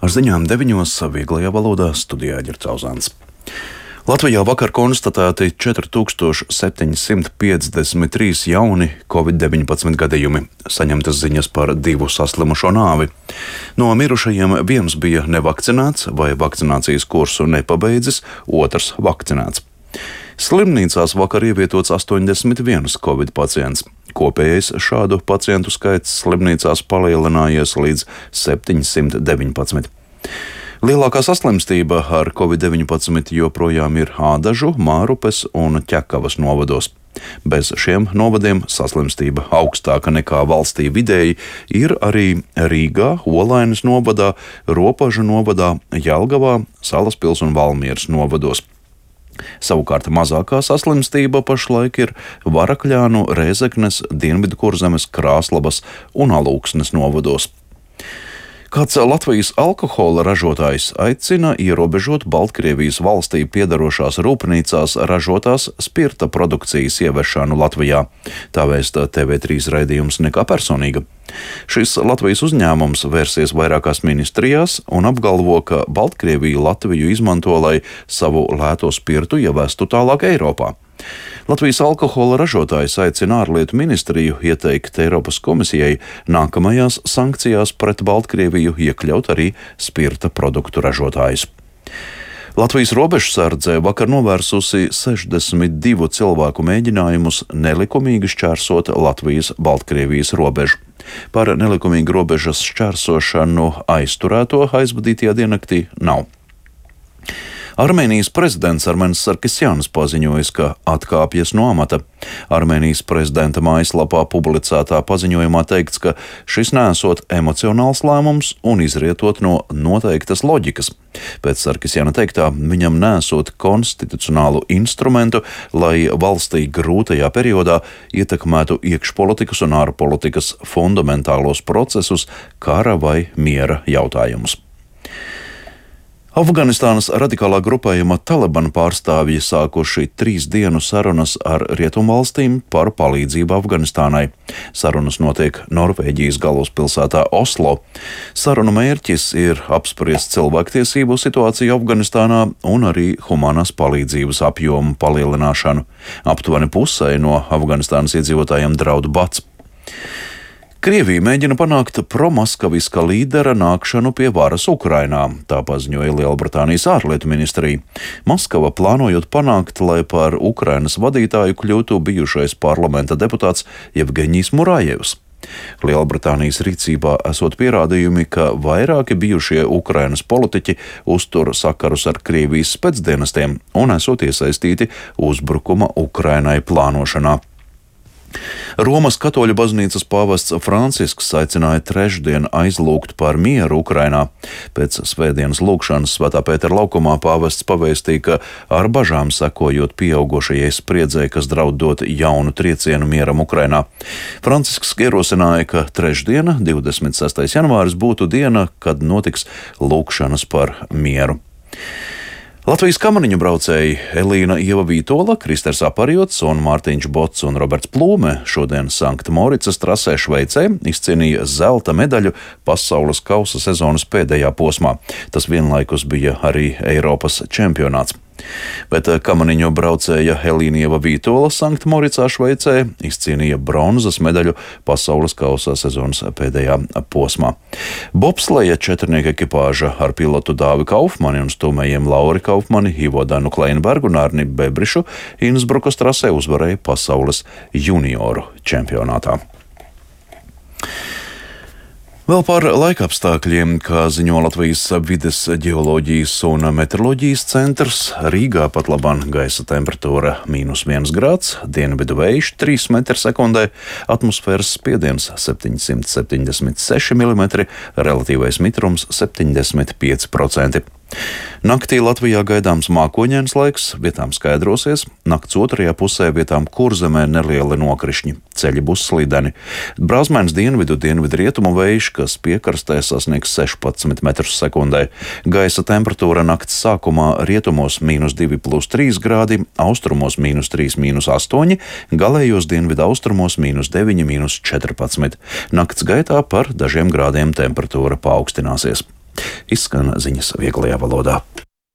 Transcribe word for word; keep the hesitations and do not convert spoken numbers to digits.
Ar ziņām deviņos vieglajā valodā studijā Ģercauzāns. Latvijā vakar konstatēti četri tūkstoši septiņi simti piecdesmit trīs jauni covid deviņpadsmit gadījumi, saņemtas ziņas par divu saslimušo nāvi. No mirušajiem viens bija nevakcinēts vai vakcinācijas kursu nepabeidzis, otrs vakcinēts. Slimnīcās vakar ievietots astoņdesmit viens covid pacients. Kopējais šādu pacientu skaits slimnīcās palielinājies līdz septiņsimt deviņpadsmit. Lielākā saslimstība ar covid deviņpadsmit joprojām ir Ādažu, Mārupes un Ķekavas novados. Bez šiem novadiem saslimstība augstāka nekā valstī vidēji ir arī Rīgā, Olainas novadā, Ropažu novadā, Jelgavā, Salaspils un Valmieras novados. Savukārt mazākā saslimstība pašlaik ir Varakļānu, Rēzeknes, Dienvidkurzemes, Krāslavas un Alūksnes novados. Kāds Latvijas alkohola ražotājs aicina ierobežot Baltkrievijas valstī piedarošās rūpnīcās ražotās spirta produkcijas ieviešanu Latvijā. Tā vēsta T V trīs raidījums Nekā personīga. Šis Latvijas uzņēmums vērsies vairākās ministrijās un apgalvo, ka Baltkrievija Latviju izmanto, lai savu lēto spirtu ievestu tālāk Eiropā. Latvijas alkohola ražotājs aicina ārlietu ministriju ieteikt Eiropas komisijai nākamajās sankcijās pret Baltkrieviju iekļaut arī spirta produktu ražotājus. Latvijas robežsardze vakar novērsusi sešdesmit divu cilvēku mēģinājumus nelikumīgi šķērsot Latvijas-Baltkrievijas robežu. Par nelikumīgu robežas šķērsošanu aizturēto aizvadītajā diennaktī nav. Armēnijas prezidents Armenis Sarkisjans paziņojis, ka atkāpjas no amata. Armēnijas prezidenta mājaslapā publicētā paziņojumā teikts, ka šis nesot emocionāls lēmums un izrietot no noteiktas loģikas. Pēc Sarkisjana teiktā, viņam nesot konstitucionālu instrumentu, lai valstī grūtajā periodā ietekmētu iekšpolitikas un ārpolitikas fundamentālos procesus, kara vai miera jautājumus. Afganistānas radikālā grupējuma Taliban pārstāvji sākuši trīs dienu sarunas ar rietumvalstīm par palīdzību Afganistānai. Sarunas notiek Norvēģijas galvaspilsētā Oslo. Sarunu mērķis ir apspriest cilvēktiesību situāciju Afganistānā un arī humanās palīdzības apjomu palielināšanu. Aptuveni pusē no Afganistānas iedzīvotājiem draud bats. Krievija mēģina panākt promaskaviska līdera nākšanu pie varas Ukrainā, tā paziņoja Lielbritānijas ārlietu ministrija. Maskava plānojot panākt, lai par Ukrainas vadītāju kļūtu bijušais parlamenta deputāts Jevgeņijs Murājevs. Lielbritānijas rīcībā esot pierādījumi, ka vairāki bijušie Ukrainas politiķi uztur sakarus ar Krievijas specdienestiem un esot iesaistīti uzbrukuma Ukrainai plānošanā. Romas katoļu baznīcas pāvests Francisks aicināja trešdien aizlūgt par mieru Ukrainā. Pēc svētdienas lūgšanas Svētā Pētera laukumā pāvests pavēstīja, ka ar bažām sekojot pieaugušajai spriedzei, kas draud dot jaunu triecienu mieram Ukrainā. Francisks ierosināja, ka trešdiena, divdesmit sestais janvāris, būtu diena, kad notiks lūgšanas par mieru. Latvijas kamaniņu braucēji Elīna Ieva Vītola, Kristers Aparjots un Mārtiņš Bots un Roberts Plūme šodien Sankta Moricas trasē Šveicē izcīnīja zelta medaļu pasaules kausa sezonas pēdējā posmā. Tas vienlaikus bija arī Eiropas čempionāts. Bet kamaniņu braucēja Elīna Ieva Vītola Sankta Moricā Šveicē izcīnīja bronzas medaļu pasaules kausa sezonas pēdējā posmā. Bobsleja četrnieka ekipāža ar pilotu Dāvi Kaufmani un stūmējiem Lauri Kaufmani, Ivo Danu Kleinbergu un Arni Bebrišu Innsbrukas trasē uzvarēja pasaules junioru čempionātā. Vēl par laikapstākļiem, kā ziņo Latvijas vides ģeoloģijas un meteoroloģijas centrs, Rīgā pat labāk gaisa temperatūra mīnus viens grāds, dienvidu vējš trīs metri sekundē, atmosfēras spiediens septiņsimt septiņdesmit seši milimetri, relatīvais mitrums septiņdesmit pieci procenti. Naktī Latvijā gaidāms mākoņains laiks, vietām skaidrosies, nakts otrajā pusē vietām Kurzemē nelieli nokrišņi, ceļi būs slideni. Brāzmēns dienvidu dienvidu rietumu vējš, kas piekrastē sasniegs sešpadsmit metrus sekundē. Gaisa temperatūra nakts sākumā rietumos mīnus divi plus trīs grādi, austrumos mīnus trīs mīnus astoņi, galējos dienvidu austrumos mīnus deviņi mīnus četrpadsmit. Nakts gaitā par dažiem grādiem temperatūra paaugstināsies. Izskan ziņas vieglajā valodā.